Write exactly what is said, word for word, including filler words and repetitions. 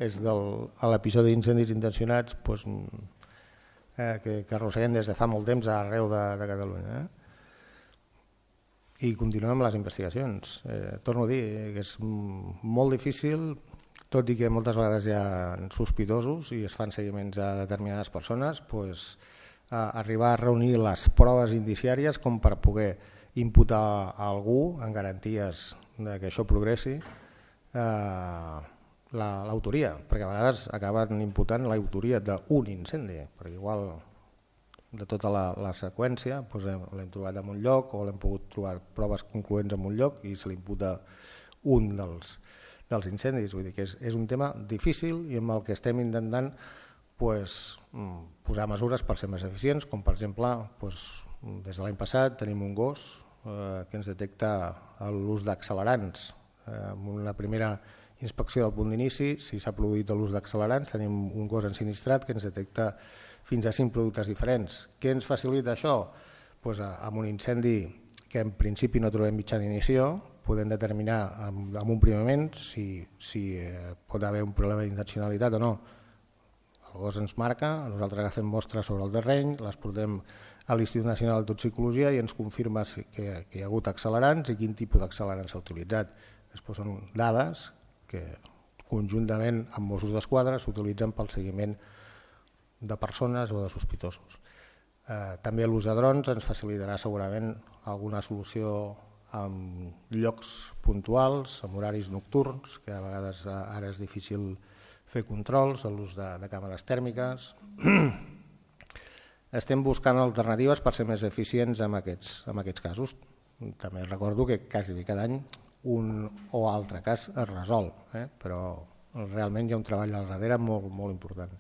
és de l'episodi d'incendis intencionats doncs, eh, que, que arrosseguem des de fa molt temps arreu de, de Catalunya. Eh? I continuem amb les investigacions. Eh, torno a dir que és molt difícil, tot i que moltes vegades hi ha sospitosos i es fan seguiments a determinades persones, doncs, a arribar a reunir les proves indiciàries com per poder imputar a algú en garanties de que això progressi eh, l'autoria, perquè a vegades acaben imputant l'autoria d'un incendi, perquè igual de tota la, la seqüència doncs l'hem trobat en un lloc o l'hem pogut trobar proves concloents en un lloc i se li imputa un dels, dels incendis. Vull dir que és, és un tema difícil i amb el que estem intentant pues, posar mesures per ser més eficients, com per exemple pues, des de l'any passat tenim un gos eh, que ens detecta l'ús d'accelerants. Eh, amb una primera inspecció del punt d'inici, si s'ha produït l'ús d'accelerants, tenim un gos ensinistrat que ens detecta fins a cinc productes diferents. Què ens facilita això? Pues, amb un incendi que en principi no trobem mitjà d'inició, podem determinar en un primer moment si, si eh, pot haver un problema d'intencionalitat o no. El gos ens marca, nosaltres agafem mostres sobre el terreny, les portem a l'Institut Nacional de Toxicologia i ens confirma que, que hi ha hagut accelerants i quin tipus d'accelerants s'ha utilitzat. Després són dades que conjuntament amb Mossos d'Esquadra s'utilitzen pel seguiment de persones o de sospitosos. Eh, també l'ús de drons ens facilitarà segurament alguna solució en llocs puntuals, en horaris nocturns, que a vegades ara és difícil fer controls, l'ús de, de càmeres tèrmiques. Estem buscant alternatives per ser més eficients en aquests, en aquests casos. També recordo que quasi cada any un o altre cas es resol, eh? Però realment hi ha un treball al darrere molt, molt important.